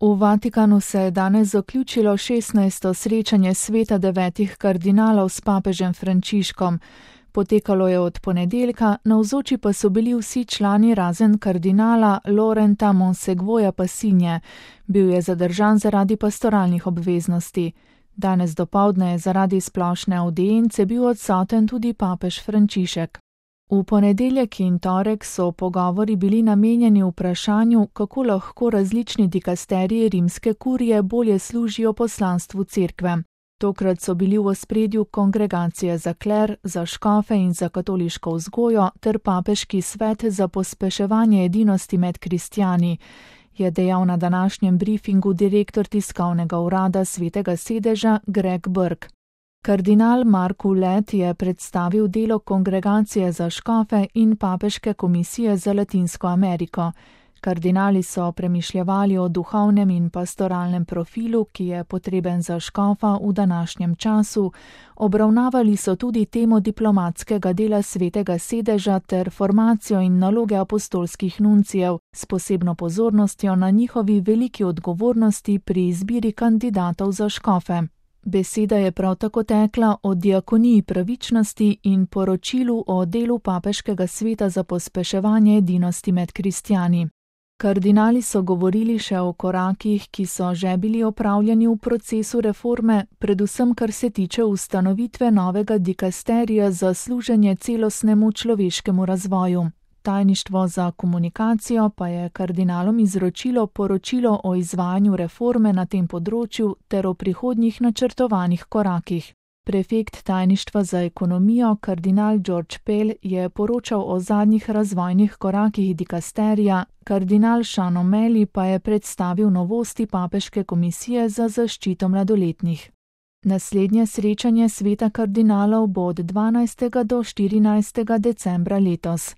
V Vatikanu se je danes zaključilo 16. srečanje sveta 9 kardinalov s papežem Frančiškom. Potekalo je od ponedeljka, navzoči pa so bili vsi člani razen kardinala Laurenta Monseguoja Passinje. Bil je zadržan zaradi pastoralnih obveznosti. Danes dopoldne je zaradi splošne avdience bil odsoten tudi papež Frančišek. V ponedeljek in torek so pogovori bili namenjeni vprašanju, kako lahko različni dikasteriji rimske kurije bolje služijo poslanstvu cerkve. Tokrat so bili v ospredju kongregacije za kler, za škofe in za katoliško vzgojo ter papeški svet za pospeševanje edinosti med kristjani, je dejal na današnjem briefingu direktor tiskovnega urada Svetega sedeža Greg Burke. Kardinal Mark Ouellet je predstavil delo kongregacije za škofe in papeške komisije za Latinsko Ameriko. Kardinali so premišljevali o duhovnem in pastoralnem profilu, ki je potreben za škofa v današnjem času, obravnavali so tudi temo diplomatskega dela Svetega sedeža ter formacijo in naloge apostolskih nuncijev s posebno pozornostjo na njihovi veliki odgovornosti pri izbiri kandidatov za škofe. Beseda je prav tako tekla o diakoniji pravičnosti in poročilu o delu papeškega sveta za pospeševanje edinosti med kristjani. Kardinali so govorili še o korakih, ki so že bili opravljeni v procesu reforme, predvsem kar se tiče ustanovitve novega dikasterija za služenje celostnemu človeškemu razvoju. Tajništvo za komunikacijo pa je kardinalom izročilo poročilo o izvajanju reforme na tem področju ter o prihodnjih načrtovanih korakih. Prefekt tajništva za ekonomijo, kardinal George Pell, je poročal o zadnjih razvojnih korakih dikasterija, kardinal Sean O'Malley pa je predstavil novosti papeške komisije za zaščito mladoletnih. Naslednje srečanje sveta kardinalov bo od 12. do 14. decembra letos.